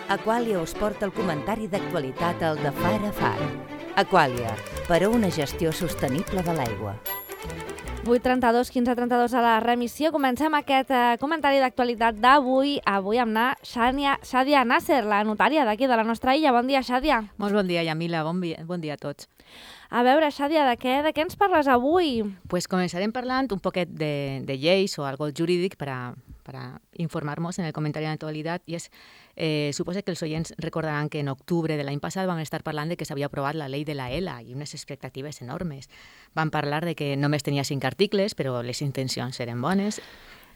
Aquàlia us porta el comentari d'actualitat al de Far a Far. Aquàlia, per a una gestió sostenible de l'aigua. 8:32, 15:32 a la remissió. Comencem aquest comentari d'actualitat d'avui. Avui amb Shàdia Nasser, la notària d'aquí de la nostra illa. Bon dia, Shàdia. Molt bon dia, Yamila. Bon dia a tots. A veure, Shàdia, de què ens parles avui? Pues començarem parlant un poquet de lleis o algo jurídic para informar-nos en el comentari d'actualitat i és, suposo que els oients recordaran que en octubre de l'any passat vam estar parlant de que s'havia aprovat la llei de la ELA i unes expectatives enormes. Vam parlar de que només tenia 5 articles, però les intencions eren bones.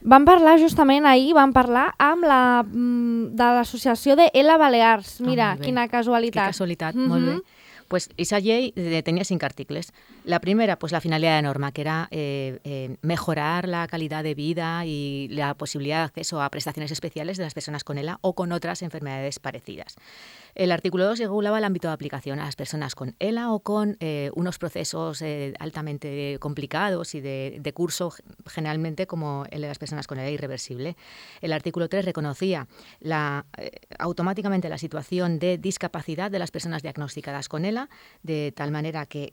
Vam parlar justament ahir, amb de l'associació de ELA Balears. Mira, quina casualitat. Quina casualitat, molt bé. Pues esa ley tenía 5 artículos. La primera, pues la finalidad de la norma, que era mejorar la calidad de vida y la posibilidad de acceso a prestaciones especiales de las personas con ELA o con otras enfermedades parecidas. El artículo 2 regulaba el ámbito de aplicación a las personas con ELA o con unos procesos altamente complicados y de curso generalmente como el de las personas con ELA irreversible. El artículo 3 reconocía automáticamente la situación de discapacidad de las personas diagnosticadas con ELA, de tal manera que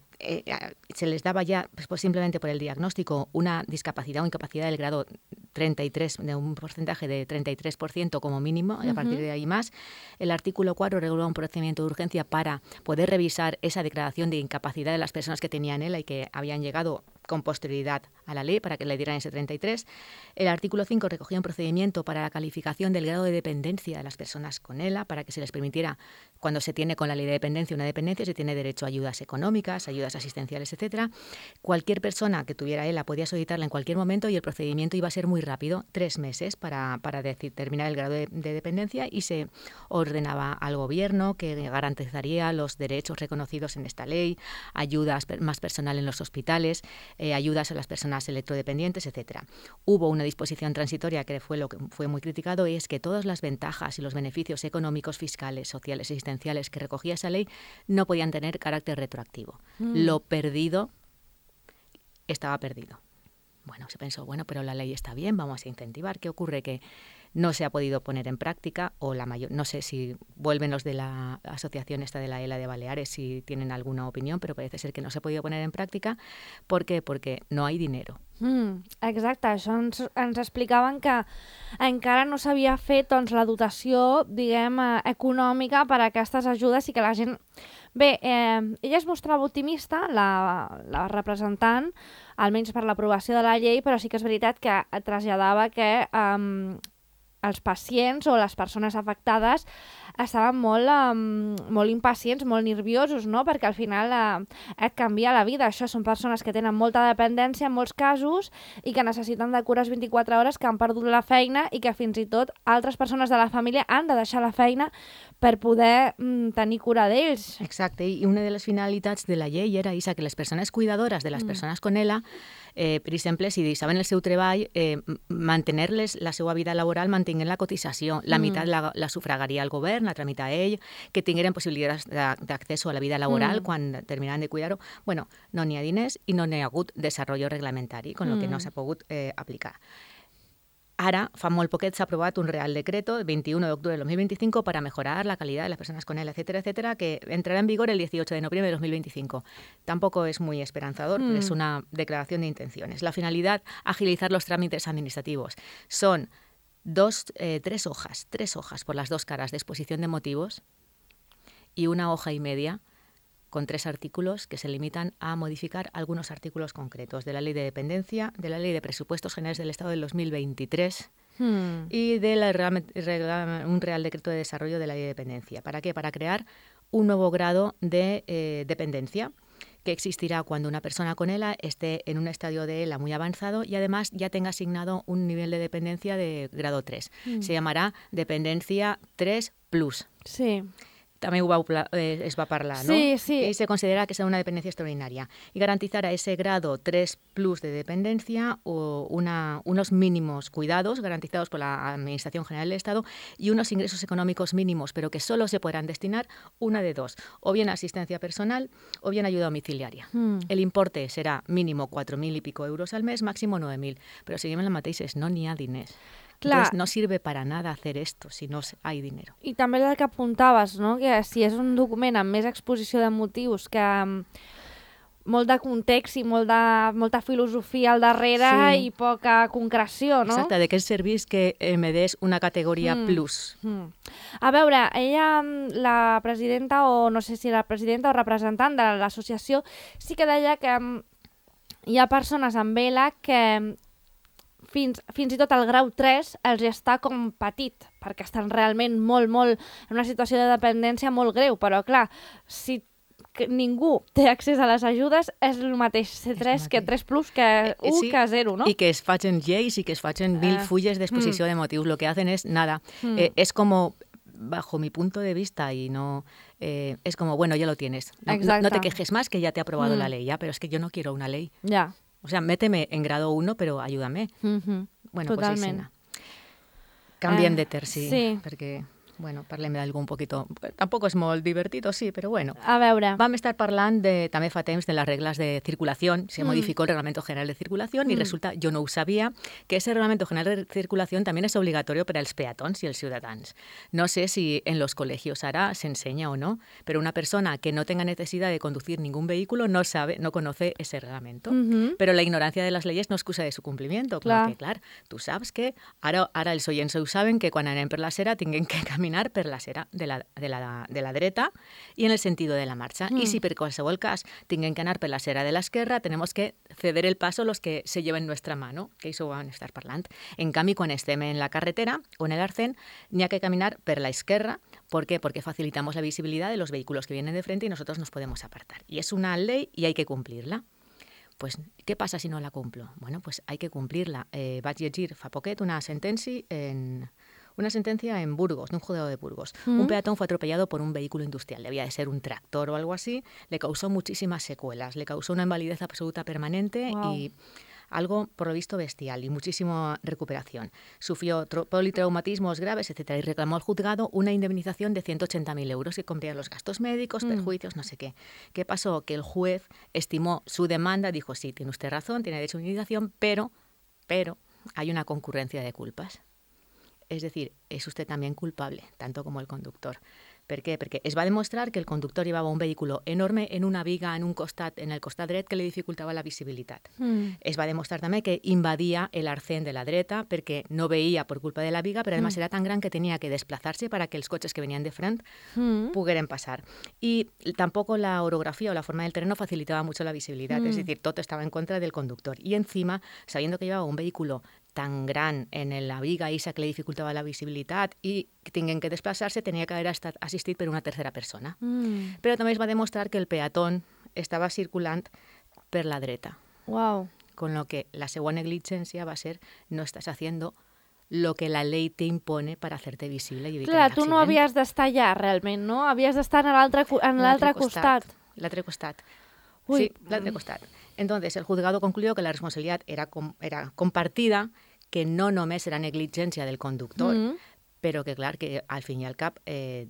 se les daba ya, pues simplemente por el diagnóstico, una discapacidad o incapacidad del grado 33, de un porcentaje de 33% como mínimo, y a partir de ahí más. El artículo 4 regula un procedimiento de urgencia para poder revisar esa declaración de incapacidad de las personas que tenían ELA y que habían llegado con posterioridad a la ley para que le dieran ese 33. El artículo 5 recogía un procedimiento para la calificación del grado de dependencia de las personas con ELA para que se les permitiera, cuando se tiene con la ley de dependencia una dependencia, se tiene derecho a ayudas económicas, ayudas asistenciales, etcétera. Cualquier persona que tuviera ELA podía solicitarla en cualquier momento y el procedimiento iba a ser muy rápido, 3 meses para determinar el grado de dependencia, y se ordenaba al gobierno que garantizaría los derechos reconocidos en esta ley, ayudas más personal en los hospitales, ayudas a las personas electrodependientes, etcétera. Hubo una disposición transitoria que fue lo que fue muy criticado, y es que todas las ventajas y los beneficios económicos, fiscales, sociales y asistenciales que recogía esa ley no podían tener carácter retroactivo. Lo perdido estaba perdido. Bueno, se pensó, pero la ley está bien, vamos a incentivar. ¿Qué ocurre? Que no se ha podido poner en práctica, o no sé si vuelven los de la asociación esta de la ELA de Baleares si tienen alguna opinió, però parece ser que no s'ha podido poner en pràctica. ¿Por qué? Porque no hay dinero. Exacte, això ens explicaven que encara no s'havia fet la dotació, diguem, econòmica per a aquestes ajudes i que la gent... Bé, ella es mostrava optimista, la representant, almenys per l'aprovació de la llei, però sí que és veritat que traslladava que els pacients o les persones afectades estaven molt impacients, molt nerviosos, no? Perquè al final et canvia la vida. Això són persones que tenen molta dependència en molts casos i que necessiten de cures 24 hores, que han perdut la feina i que fins i tot altres persones de la família han de deixar la feina per poder tenir cura d'ells. Exacte, i una de les finalitats de la llei era que les persones cuidadores de les persones con ELA, per exemple, si deixaven el seu treball, mantenir-les la seva vida laboral, mantenint la cotització. La meitat la sufragaria el govern, la tramita ell, que tingueren possibilitats d'accés a la vida laboral quan terminaran de cuidar-ho. Bueno, no n'hi ha diners i no n'hi ha hagut desenvolupament reglamentari, con lo que no s'ha pogut aplicar. Ara, fa molt poquet, s'ha aprovat un Real Decreto, el 21 de octubre de 2025, para mejorar la calidad de las personas con ELA, etcétera, etcétera, que entrará en vigor el 18 de noviembre de 2025. Tampoco es muy esperanzador, pero es una declaración de intenciones. La finalidad, agilizar los trámites administrativos. Son 3 hojas por las 2 caras de exposición de motivos y 1 hoja y media con 3 artículos que se limitan a modificar algunos artículos concretos de la Ley de Dependencia, de la Ley de Presupuestos Generales del Estado del 2023 y de un Real Decreto de Desarrollo de la Ley de Dependencia. ¿Para qué? Para crear un nuevo grado de dependencia que existirá cuando una persona con ELA esté en un estadio de ELA muy avanzado y además ya tenga asignado un nivel de dependencia de grado 3. Se llamará dependencia 3+. Sí. També es va parlar, ¿no? Sí, sí. Y se considera que sea una dependencia extraordinaria. Y garantizar a ese grado 3+ de dependencia unos mínimos cuidados garantizados por la Administración General del Estado y unos ingresos económicos mínimos, pero que solo se podrán destinar una de 2, o bien asistencia personal o bien ayuda domiciliaria. El importe serà mínimo 4.000 i pico euros al mes, màximo 9.000, però seguim en la mateixa, no n'hi ha diners. Entonces no sirve para nada hacer esto si no hay dinero. I també el que apuntaves, no? Que si és un document amb més exposició de motius, que molt de context i molta filosofia al darrere i poca concreció, no? Exacte, de què serveix que me des una categoria plus. A veure, ella, la presidenta, o no sé si era presidenta o representant de l'associació, sí que deia que hi ha persones amb ELA que fins i tot el grau 3 els està com petit, perquè estan realment molt, en una situació de dependència molt greu, però clar, si ningú té accés a les ajudes, és el mateix C3 que 3+, que 1 que 0, ¿no? Y que es facen lleis y que es facen 1000 fulles de exposición de motivos. Lo que hacen es nada. Es como, bajo mi punto de vista, y no es como, bueno, ya lo tienes. No te quejes más, que ya te ha aprobado la ley, ya, pero es que yo no quiero una ley. Ya. O sea, méteme en grado 1, pero ayúdame. Bueno, totalment. Pues canviem de terci, sí. Perquè... Bueno, parlem d'algú un poquito... Tampoc és molt divertit, sí, però bueno. A veure. Vam estar parlant també fa temps de les regles de circulació. Se modificó el Reglamento General de Circulación y resulta, yo no ho sabia, que ese Reglamento General de Circulación también es obligatorio para els peatons i els ciutadans. No sé si en los colegios ahora se enseña o no, pero una persona que no tenga necesidad de conducir ningún vehículo no conoce ese reglamento. Pero la ignorancia de las leyes no excusa de su cumplimiento. Clar. Perquè, clar, tu saps que ara els oients ho saben que quan anem per la acera tinguem que caminar per la acera de la dreta y en el sentido de la marcha. Y si per qualsevol cas tinguem que anar per la acera de l'esquerra, tenemos que ceder el paso los que se lleven nuestra mano, que això ho vam estar parlant. En canvi, quan estem en la carretera o en el arcén, n'hi ha que caminar per la esquerra. ¿Por qué? Porque facilitamos la visibilidad de los vehículos que vienen de frente y nosotros nos podemos apartar. Y es una ley y hay que cumplirla. Pues, ¿qué pasa si no la cumplo? Bueno, pues hay que cumplirla. Vaig llegir fa poquet una sentencia en Burgos, de un juzgado de Burgos. Un peatón fue atropellado por un vehículo industrial. Debía de ser un tractor o algo así. Le causó muchísimas secuelas. Le causó una invalidez absoluta permanente y algo, por lo visto, bestial y muchísima recuperación. Sufrió politraumatismos graves, etcétera, y reclamó al juzgado una indemnización de 180.000 euros que cubría los gastos médicos, perjuicios, no sé qué. ¿Qué pasó? Que el juez estimó su demanda, dijo, sí, tiene usted razón, tiene derecho a indemnización, pero hay una concurrencia de culpas. Es decir, es usted también culpable, tanto como el conductor. ¿Per què? Perquè es va demostrar que el conductor llevava un vehículo enorme en una viga en el costat dret que li dificultava la visibilitat. Es va demostrar també que invadia el arcén de la dreta perquè no veia per culpa de la viga, però además era tan gran que tenia que desplazarse para que els cotxes que venien de front pogueren passar. Y tampoco la orografía o la forma del terreno facilitaba mucho la visibilidad, es decir, todo estaba en contra del conductor. Y encima, sabiendo que llevaba un vehículo tan gran en la viga esa que le dificultava la visibilitat i que tinguin que desplaçar-se, tenia que haver estat assistit per una tercera persona. Però també es va demostrar que el peatón estava circulant per la dreta. Wow. Con lo que la segua negligència va ser no estàs haciendo lo que la ley te impone para hacerte visible y evitar Clar, el tu accident. no havies d'estar allà, realment, no? Havies d'estar en l'altre costat. L'altre costat. Uy. Sí, l'altre costat. Entonces, el juzgado concluyó que la responsabilidad era compartida, que no només era negligència del conductor, però que, clar, que al fin i al cap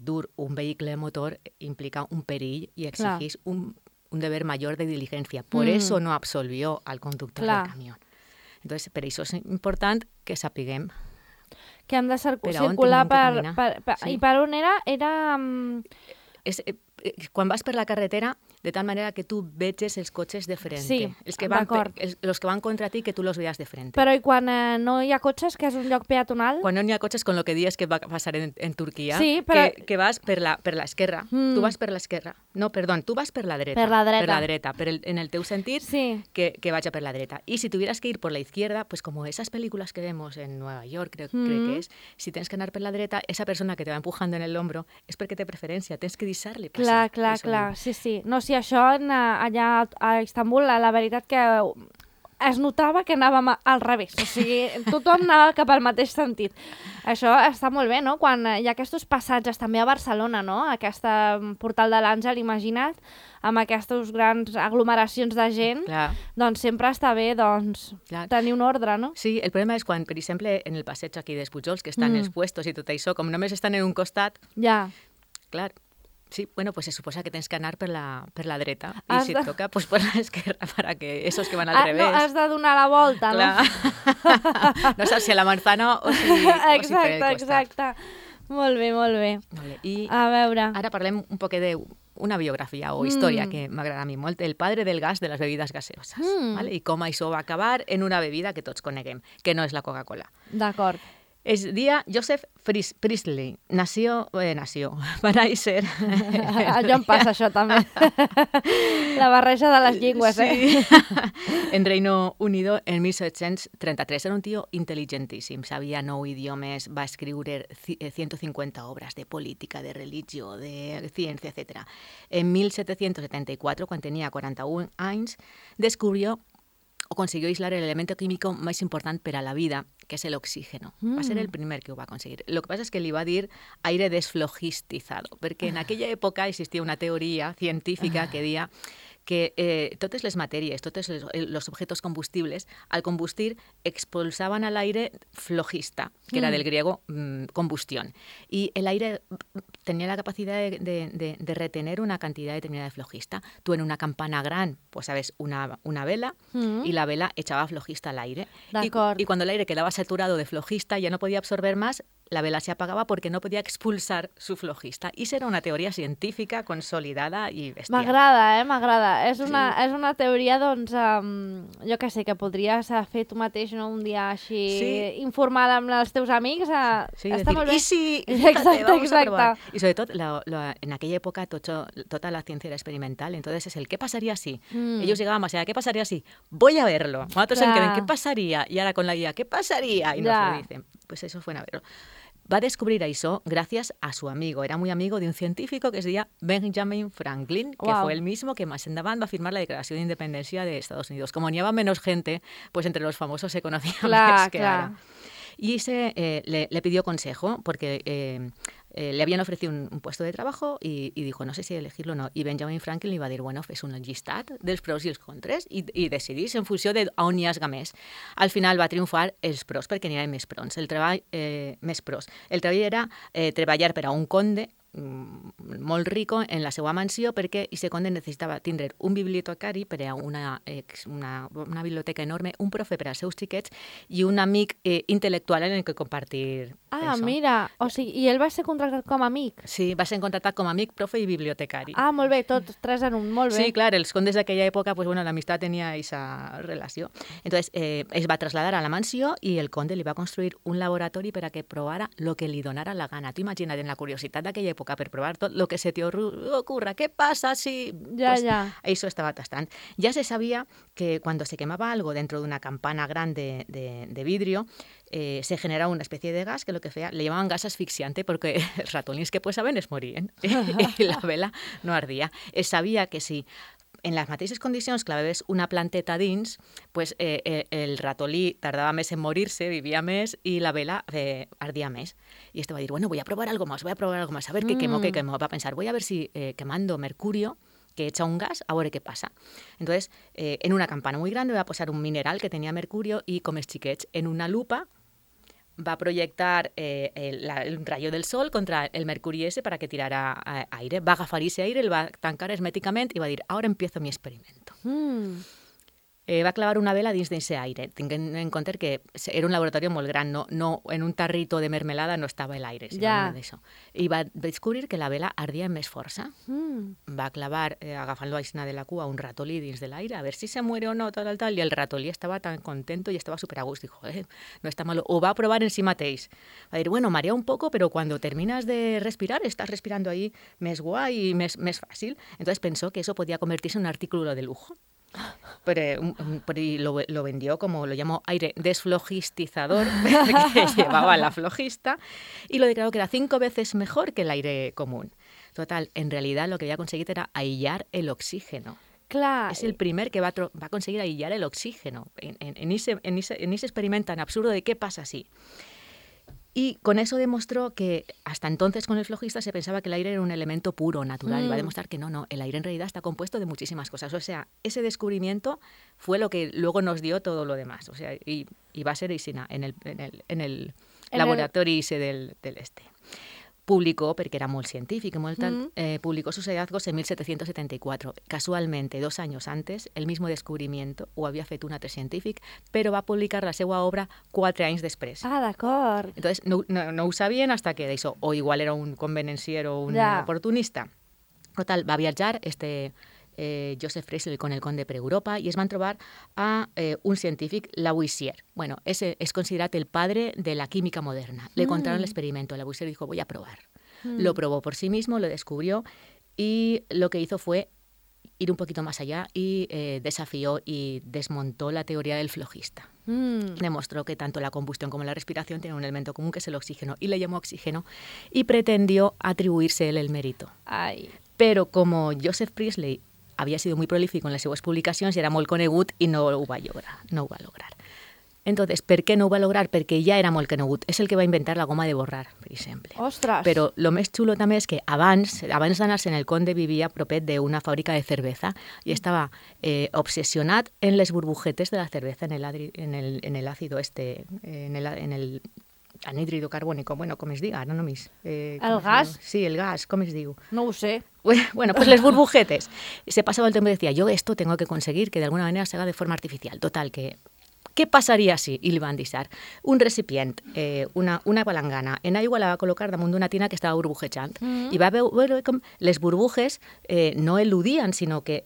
dur un vehicle motor implica un perill i exigís un deber mayor de diligencia. Por eso no absolvió al conductor del camión. Entonces, per això és important que sapiguem que hem de circular sí. I per on era? Quan vas per la carretera, de tal manera que tu veges els cotxes de frente. Sí, d'acord. Els que van contra ti, que tu los veas de frente. Però i quan no hi ha cotxes, que és un lloc peatonal? Quan no hi ha cotxes, con lo que dius que va passar en Turquia, sí, però... que vas per l'esquerra. Tu vas per l'esquerra. No, perdó, tu vas per la dreta. Per la dreta. Per la dreta, en el teu sentit, sí. que vaya per la dreta. Y si tuvieras que ir por la izquierda, pues como esas películas que vemos en Nueva York, creo que es, si tens que anar per la dreta, esa persona que te va empujando en el hombro és perquè té preferència, tens que deixar-li passar. Clar, sí. No, sí, això allà a Istanbul, la veritat que es notava que anàvem al revés, o sigui, tothom anava cap al mateix sentit. Això està molt bé, no? Quan hi ha aquests passatges, també a Barcelona, no? Aquest portal de l'Àngel, imagina't, amb aquestes grans aglomeracions de gent, doncs sempre està bé tenir un ordre, no? Sí, el problema és quan, per exemple, en el passeig aquí dels Pujols, que estan els puestos i tot això, com només estan en un costat, ja. Clar, Sí, bueno, pues se suposa que tens que anar per la dreta i si et toca, pues per l'esquerra para que esos que van al revés. No, has de donar la volta, clar. No? No saps si a la manzana o si per el costat. Exacte. Molt bé, molt bé. I a veure... Ara parlem un poc d'una biografia o història que m'agrada a mi molt, el padre del gas de les bebides gaseoses. ¿Vale? I com això va acabar en una bebida que tots coneguem, que no és la Coca-Cola. D'acord. Es dia Joseph Priestley. Va néixer... Allò em passa, això, també. La barreja de les llengües, sí. En Reino Unido, en 1733. Era un tío inteligentíssim. Sabia 9 idiomes, va escriure 150 obres de política, de religió, de ciència, etc. En 1774, quan tenia 41 anys, descubrió o consiguió aislar el elemento químico más importante para la vida, que es el oxígeno. Va a ser el primer que ho va conseguir. Lo que pasa es que li va dir aire desflogistizado, perquè en aquella època existia una teoria científica que deia que totes les matèries, tots els objectes combustibles, al combustir expulsaban al aire flogista, que era del griego combustión. Y el aire tenía la capacidad de retener una cantidad determinada de flogista. Tú en una campana gran, pues sabes, una vela, y la vela echaba flogista al aire. Y cuando el aire quedaba saturado de flogista, ya no podía absorber más, la vela se apagaba porque no podía expulsar su flogista. I era una teoria científica consolidada i bestial. M'agrada, m'agrada. És una teoria, doncs, jo què sé, que podries fer tu mateix, no? Un dia així informada amb els teus amics. Està molt bé. I sí, vamos a probar. Y sobre todo, en aquella época toda la ciencia era experimental, entonces es el ¿qué pasaría si? Ellos llegaban más allá, ¿qué pasaría si? Voy a verlo. Nosotros en queden, ¿qué pasaría? Y ahora con la guía, ¿qué pasaría? Y nos lo dicen. Pues eso fue a verlo. Va a descubrir eso gracias a su amigo. Era muy amigo de un científico que se decía Benjamin Franklin, que fue el mismo que más endavant va a firmar la Declaración de Independencia de Estados Unidos. Como ni había menos gente, pues entre los famosos se conocía más que ahora. Y le pidió consejo porque le habían ofrecido un puesto de trabajo y dijo, no sé si elegirlo o no. I Benjamin Franklin li va dir, bueno, fes un llistat dels pros i els contres i decidís en funció d'on hi hagi més. Al final va triomfar els pros perquè n'hi havia més pros. El treball era treballar per a un conde molt rico en la seva mansió perquè aquest conde necessitava tindre un bibliotecari per a una biblioteca enorme, un profe per als seus xiquets i un amic intel·lectual en el que compartir això. Mira, o sigui, i ell va ser contractat com a amic? Sí, va ser contractat com a amic, profe i bibliotecari. Molt bé, tots tres en un, molt bé. Sí, clar, els condes d'aquella època, pues bueno, l'amistat tenia aquesta relació. Entonces, es va traslladar a la mansió i el conde li va construir un laboratori per a que provara lo que li donara la gana. Tu imagina't, en la curiositat d'aquella època, per provar tot lo que se te ocurra. ¿Qué pasa si...? Eso estaba tastant. Ya se sabía que cuando se quemaba algo dentro de una campana grande de vidrio, se generaba una especie de gas que lo que hacía, le llamaban gas asfixiante porque els ratolins que pues saben es morían y la vela no ardía. Es sabia que si en les mateixes condicions clavaves una planteta dins, pues, el ratolí tardava més en morir-se, vivia més i la vela ardia més. I este va dir, bueno, voy a probar algo más, a ver qué quemo. Va a pensar, voy a ver si quemando mercurio, que echa un gas, a veure què passa. Entonces, en una campana muy grande va a posar un mineral que tenía mercurio y com els xiquets, en una lupa va a proyectar el rayo del sol contra el mercuri ese para que tirara aire. Va a agafar ese aire, el va a tancar herméticamente y va a decir, ahora empiezo mi experimento. Va a clavar una vela dins d'ese aire. Tinguem en compte que era un laboratori molt gran, no en un tarrito de mermelada no estava l'aire, sinó I va descobrir que la vela ardia amb més força. Va clavar, agafant l'aixina de la cua, un ratolí dins de l'aire, a ver si se muere o no, tal, i el ratolí estava tan contento y estaba súper a gust. Dijo, no está malo. Ho va provar en si mateix. Va dir, bueno, marea un poco, pero cuando terminas de respirar, estás respirando ahí més guai i més fàcil. Entonces pensó que eso podía convertirse en un artículo de lujo. Pero lo vendió como, lo llamó aire desflogistizador, que llevaba la flogista, y lo declaró que era 5 veces mejor que el aire común. Total, en realidad lo que había conseguido era aïllar el oxígeno. Clar. Es el primer que va a conseguir aïllar el oxígeno en ese experimento tan absurdo de qué pasa si. Y con eso demostró que hasta entonces con el flogista se pensaba que el aire era un elemento puro, natural, y va a demostrar que no, el aire en realidad está compuesto de muchísimas cosas. O sea, ese descubrimiento fue lo que luego nos dio todo lo demás. O sea, y va a ser Isina en el laboratorio ese del este. publicó, perquè era molt científic i molt tal, publicó sus hallazgos en 1774. Casualmente, 2 años antes, el mismo descubrimiento ho havia fet un altre científic, però va publicar la seva obra 4 anys després. Ah, d'acord. Entonces, no ho sabien hasta que d'això, o igual era un convenencier o un oportunista. Total, va viatjar Joseph Priestley con el conde per Europa y es van trobar a un científic, Lavoisier. Bueno, ese es considerat el padre de la química moderna. Le contaron el experimento. Lavoisier dijo, voy a probar. Lo probó por sí mismo, lo descubrió y lo que hizo fue ir un poquito más allá y desafió y desmontó la teoría del flogista. Demostró que tanto la combustión como la respiración tienen un elemento común que es el oxígeno y le llamó oxígeno y pretendió atribuirse él el mérito. Ai. Però como Joseph Priestley havia sido muy prolífico en les seues publicacions i era molt conegut i no ho va lograr. Entonces, per què no ho va lograr? Perquè ja era molt conegut. És el que va inventar la goma de borrar, per exemple. Ostres! Però el més xulo també és que abans d'anar-se'n el conde vivia propet d'una fàbrica de cerveza i estava obsessionat en les burbujetes de la cerveza, en el ácido en el anhídrido carbónico, bueno, com es diga, ara només. El gas? Sí, el gas, com es diu? No ho sé. Bueno, pues les burbujetes. Se pasaba el tiempo y decía, yo esto tengo que conseguir que de alguna manera se haga de forma artificial. Total, que ¿qué pasaria si? I li van deixar un recipient, una palangana, en aigua la va col·locar damunt d'una tina que estava burbujejant i va veure com les burbujes no eludien, sinó que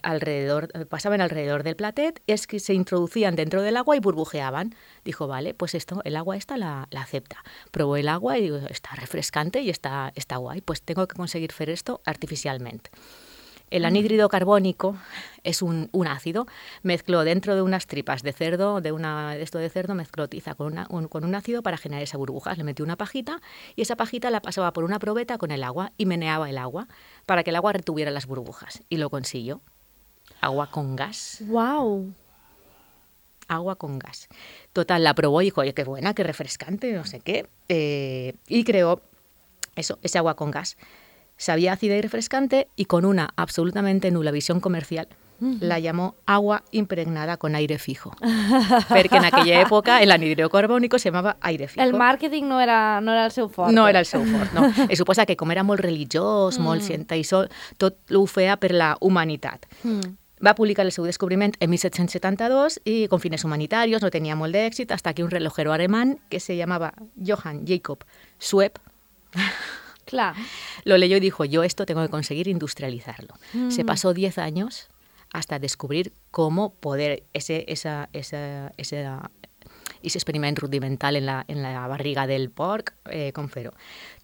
pasaven alrededor del platet, es que se introducían dentro del agua y burbujeaban. Dijo, vale, pues el agua esta la acepta. Probó el agua y digo, está refrescante y está guay, pues tengo que conseguir hacer esto artificialmente. El anhídrido carbónico es un ácido. Mezcló dentro de unas tripas de cerdo, de cerdo, mezcló tiza con un ácido para generar esas burbujas. Le metió una pajita y esa pajita la pasaba por una probeta con el agua y meneaba el agua para que el agua retuviera las burbujas. Y lo consiguió. Agua con gas. ¡Wow! Agua con gas. Total, la probó y dijo, oye, qué buena, qué refrescante, no sé qué. Y creó ese agua con gas. Sabía ácida y refrescante y con una absolutamente nula visión comercial la llamó agua impregnada con aire fijo. Perquè en aquella època l'anhídrido carbònico se llamava aire fijo. El màrqueting no era el seu fort. No era el seu fort, no. Es suposa que com era molt religiós, molt científic, tot ho feia per la humanitat. Va publicar el seu descubriment en 1772 y con fines humanitarios, no tenía molt d'èxit, hasta que un relojero alemán que se llamaba Johann Jakob Sweep Claro. Lo leyó y dijo, yo esto tengo que conseguir industrializarlo. Se pasó 10 años hasta descubrir cómo poder ese experiment rudimental en la barriga del porc con Fero.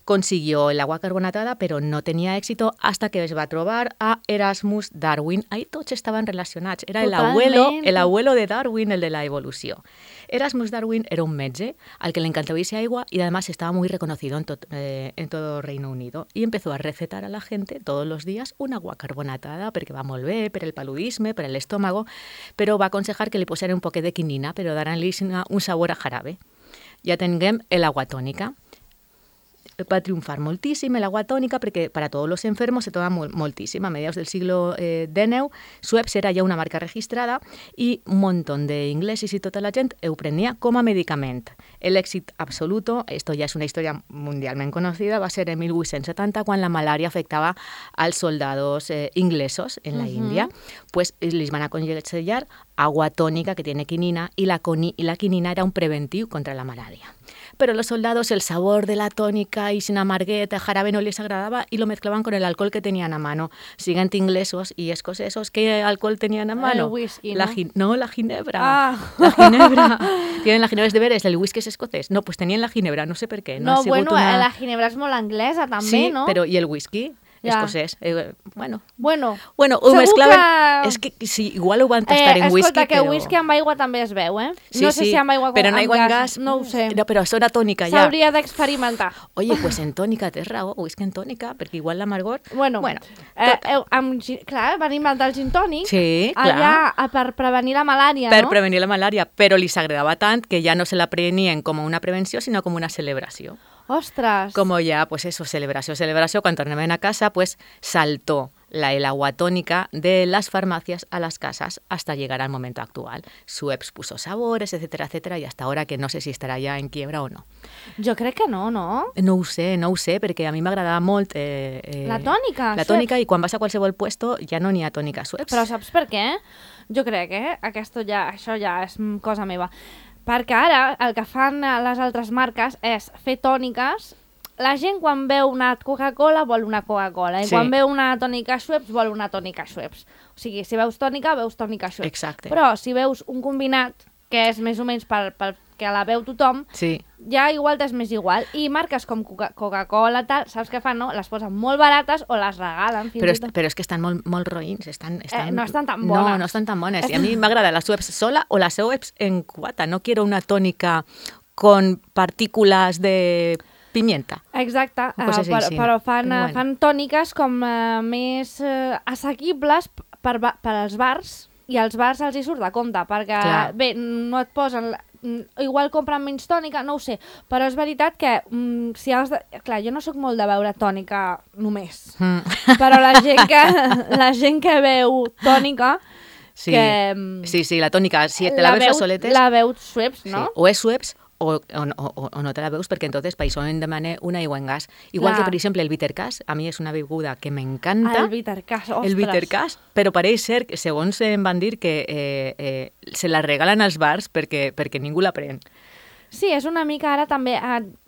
Consiguió el agua carbonatada, pero no tenía éxito hasta que es va trobar a Erasmus Darwin. Ahí tots estaven relacionats. Era el abuelo de Darwin, el de la evolució. Erasmus Darwin era un metge al que le encantaba irse agua y además estaba muy reconocido en todo Reino Unido. Y empezó a recetar a la gente todos los días un agua carbonatada perquè va molt bé, per el paludisme, per l'estómago, però va aconsejar que li posaren un poquet de quinina, però daran-li un sabor a jarabe. Ja tinguem l'agua tònica. Va triunfar moltíssim l'agua tònica perquè para todos los enfermos se toma moltíssim. A mediados del siglo XIX, Schweppes era ja una marca registrada i un montón d'inglesos i tota la gent ho prenia com a medicament. L'èxit absoluto, esto ja és una història mundialment conocida, va ser en 1870 quan la malària afectava als soldados inglesos en la Índia. Pues les van aconsellar agua tónica que tiene quinina y la quinina era un preventiu contra la malaria. Pero los soldados el sabor de la tónica y sin amargueta, jarabe no les agradaba y lo mezclaban con el alcohol que tenían a mano. Siguiente inglesos y escocesos, ¿qué alcohol tenían a mano? El whisky, ¿no? La ginebra. Ah. La ginebra. Tienen la ginebra, es de veres, el whisky es escocés. No, pues tenían la ginebra, no sé per què. No, bueno, la ginebra és molt anglesa també, sí, no? Sí, però i el whisky? Escocès. Bueno, ho mezclaven... És que sí, igual ho van tastar en whisky, escolta, que però... whisky amb aigua també es veu, eh? Sí, no sé si amb aigua però en aigua amb gas... No ho sé. No, però això era tònica, ja. S'hauria d'experimentar. Oye, pues en tònica, tens raó, whisky en tònica, perquè igual l'amargor... Bueno, clar, van inventar el gin tònic. Sí, clar. Allà per prevenir la malària, no? Per prevenir la malària, però li s'agradava tant que ja no se la prenien com una prevenció, sinó com una celebració. Ostras. Como ya, pues eso, celebració. Quan tornaven a casa, pues saltó el agua tónica de las farmacias a las casas hasta llegar al momento actual. Schweppes puso sabores, etcétera, etcétera, y hasta ahora que no sé si estarà ja en quiebra o no. Jo crec que no, no? No ho sé, perquè a mi m'agradava molt... La tònica, La tònica, i quan vas a qualsevol puesto ja no n'hi ha tònica Schweppes. Però saps per què? Jo crec, això ja és cosa meva. Perquè ara el que fan les altres marques és fer tòniques. La gent quan veu una Coca-Cola vol una Coca-Cola i quan veu una tònica Schweppes vol una tònica Schweppes. O sigui, si veus tònica Schweppes. Exacte. Però si veus un combinat, que és més o menys pel que la veu tothom, ja igual t'és més igual. I marques com Coca-Cola, tal, saps què fan, no? Les posen molt barates o les regalen. Però és que estan molt roïns. No estan tan bones. No estan tan bones. I a mi m'agrada la Schweppes sola o la Schweppes en cubata. No quiero una tònica con partículas de pimienta. Exacte, però fan tòniques com més assequibles per als bars, i als bars els hi surt de compte, perquè bé, no et posen... Igual compren menys tònica, no ho sé, però és veritat que si has de... Clar, jo no sóc molt de beure tònica només, però la gent que beu tònica... Sí, la tònica, si te la veus a soletes... La veu Schweppes, no? O és Schweppes o no te la veus, perquè entonces per això hem demanar una aigua en gas. Igual que, per exemple, el bittercàs, a mi és una beguda que m'encanta. El bittercàs, ostres. El bittercàs, però pareix ser, segons em van dir, que se la regalen als bars perquè ningú la pren. Sí, és una mica ara també,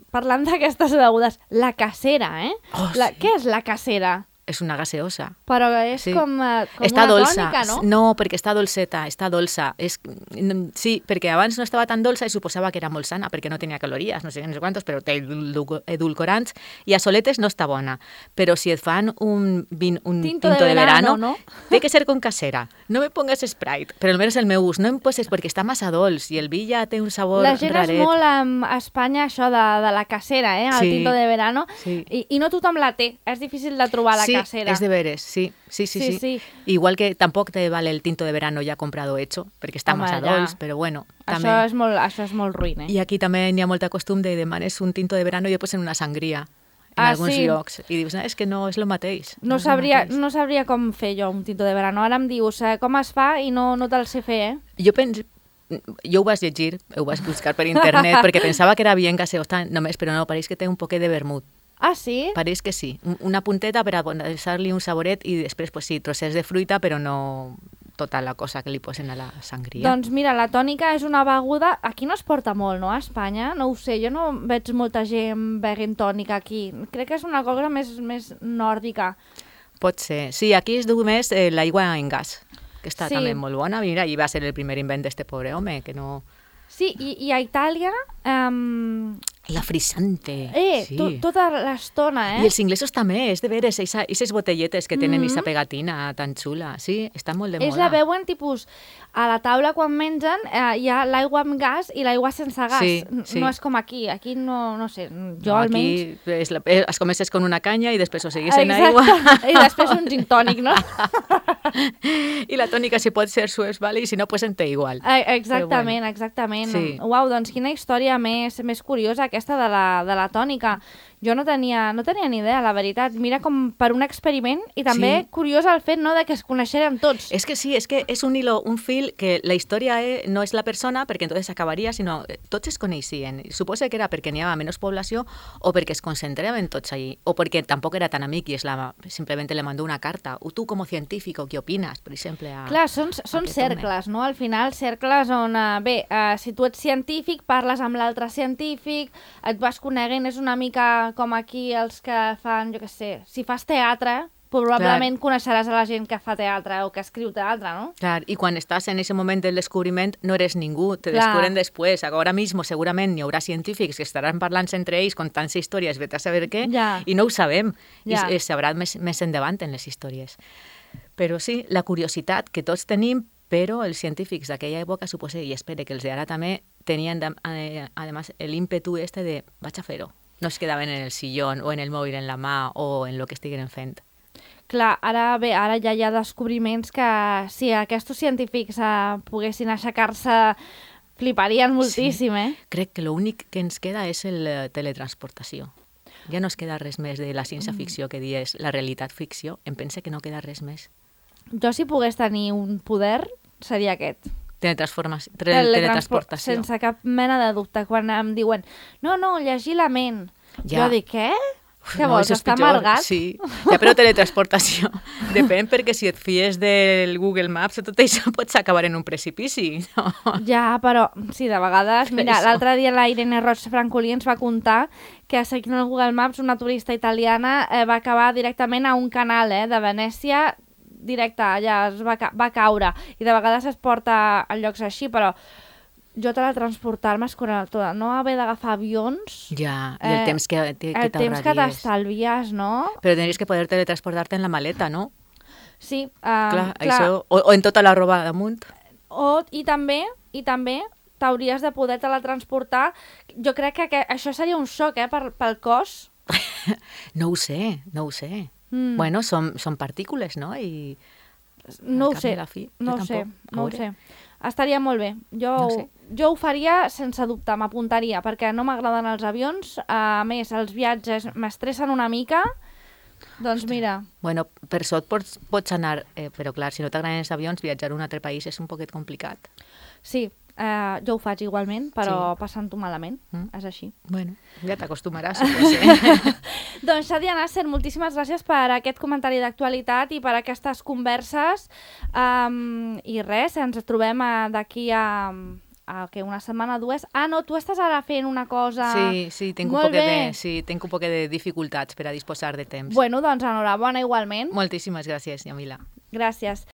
parlant d'aquestes begudes, la casera, Què és la casera? És una gaseosa. Però és com una tònica, no? No, perquè està dolceta, està dolça. Sí, perquè abans no estava tan dolça i suposava que era molt sana, perquè no tenia calories, no sé quantos, però té edulcorants, i a soletes no està bona. Però si et fan un tinto de verano, ¿no? Té que ser con casera. No me pongas Sprite, però almenys el meu ús. No em poses perquè està massa dolç i el vi ja té un sabor raret. La gent és molt a Espanya això de la casera, el tinto de verano, i no tothom la té. És difícil de trobar la casera. És de veres, sí. Igual que tampoc te vale el tinto de verano ja comprado hecho, perquè està massa dolç, però bueno. Això és molt ruïn, I aquí també n'hi ha molta costum de demanes un tinto de verano i després en una sangria en alguns llocs. I dius, és que no és el mateix. No sabria com fer jo un tinto de verano. Ara em dius com es fa i no te'l sé fer, Jo ho vas llegir, ho vas buscar per internet, perquè pensava que era bien gaseosa només, però no, pareix que té un poquet de vermut. Ah, sí? Pareix que sí. Una punteta per a posar-li un saboret i després, pues sí, trossets de fruita, però no tota la cosa que li posen a la sangria. Doncs mira, la tònica és una beguda... Aquí no es porta molt, no? A Espanya? No ho sé, jo no veig molta gent beguent tònica aquí. Crec que és una cosa més nòrdica. Pot ser. Sí, aquí es diu més l'aigua en gas, que està també molt bona. Mira, i va ser el primer invent d'este pobre home, que no... Sí, i a Itàlia... La frisante. Tota l'estona, I els inglesos també, és de veres, aquestes botelletes que tenen aquesta pegatina tan xula. Sí, està molt de moda. La veuen tipus a la taula quan mengen, hi ha l'aigua amb gas i l'aigua sense gas. Sí. No és com aquí. Aquí no sé, jo almenys... Aquí es comences con una canya i després ho seguis en aigua. I després un gin tònic, no? I la tònica, si pot ser Schweppes, vale? I si no, pues en té igual. Exactament. Sí. Uau, doncs quina història més curiosa aquesta de la tònica. Jo no tenia ni idea, la veritat. Mira com per un experiment i també curiós el fet de que es coneixerem tots. És que sí, és que és un hilo, un fil que la història no és la persona perquè entonces acabaria, sinó tots es coneixien. Suposo que era perquè n'hi havia menys població o perquè es concentraven tots allí o perquè tampoc era tan amic i simplement le mandó una carta. O tu com a científic, què opines, per exemple? Clar, són cercles, no? Al final, cercles on, si tu ets científic, parles amb l'altre científic, et vas coneguent, és una mica com aquí els que fan, jo què sé, si fas teatre, probablement coneixeràs a la gent que fa teatre o que escriu teatre, no? Clar, i quan estàs en aquest moment del descobriment no eres ningú, te descubren després. Ara mismo segurament hi haurà científics que estaran parlant entre ells, contant històries, vete a saber què, i no ho sabem. I es sabrà més endavant en les històries. Però sí, la curiositat que tots tenim, però els científics d'aquella època, suposo, i espero que els d'ara també, tenien, además, l'ímpetu de vaig a fer-ho. No es quedaven en el sillón o en el mòbil en la mà o en el que estiguin fent. Clar, ara ja hi ha descobriments que si aquests científics poguessin aixecar-se fliparien moltíssim, Crec que l'únic que ens queda és la teletransportació. Ja no es queda res més de la ciència-ficció que dies la realitat-ficció. Em pense que no queda res més. Jo, si pogués tenir un poder, seria aquest. Teletransportació. Sense cap mena de dubte. Quan em diuen, no, llegir la ment. Ja. Jo dic, què? Què No, vols, això és estar pitjor. amargat? Sí, ja, però teletransportació. Depèn, perquè si et fies del Google Maps, tot això pots acabar en un precipici. No? Ja, però sí, de vegades... Mira, Això. l'altre dia la Irene Roig Francolí ens va contar que seguint el Google Maps una turista italiana va acabar directament a un canal de Venècia, directe, allà es va caure. I de vegades es porta a llocs així, però jo teletransportar-me és no haver d'agafar avions... Ja, i el temps que el temps que t'estalvies, no? Però tindries que poder teletransportar-te en la maleta, no? Sí, Clar, això, o en tota la roba damunt. I també t'hauries de poder teletransportar. Jo crec que això seria un xoc, pel cos. No ho sé. Bueno, són partícules, no? I No ho al cap sé, i a la fi, no jo ho sé, tampoc. no ho sé. Estaria molt bé. No sé. Jo ho faria sense dubte, m'apuntaria, perquè no m'agraden els avions. A més, els viatges m'estressen una mica. Doncs mira, Bueno, per sort pots anar, però clar, si no t'agraden els avions, viatjar a un altre país és un poquet complicat. sí, jo ho faig igualment, però Sí. passant-ho malament. Mm. És així. Bueno, ja t'acostumaràs, suposo. Doncs, Xadia Nasser, moltíssimes gràcies per aquest comentari d'actualitat i per aquestes converses. I res, ens trobem d'aquí a una setmana o dues. Ah, no, tu estàs ara fent una cosa... Sí, tinc Molt bé. tinc un poquet de dificultats per a disposar de temps. Bueno, doncs enhorabona igualment. Moltíssimes gràcies, Yamila. Gràcies.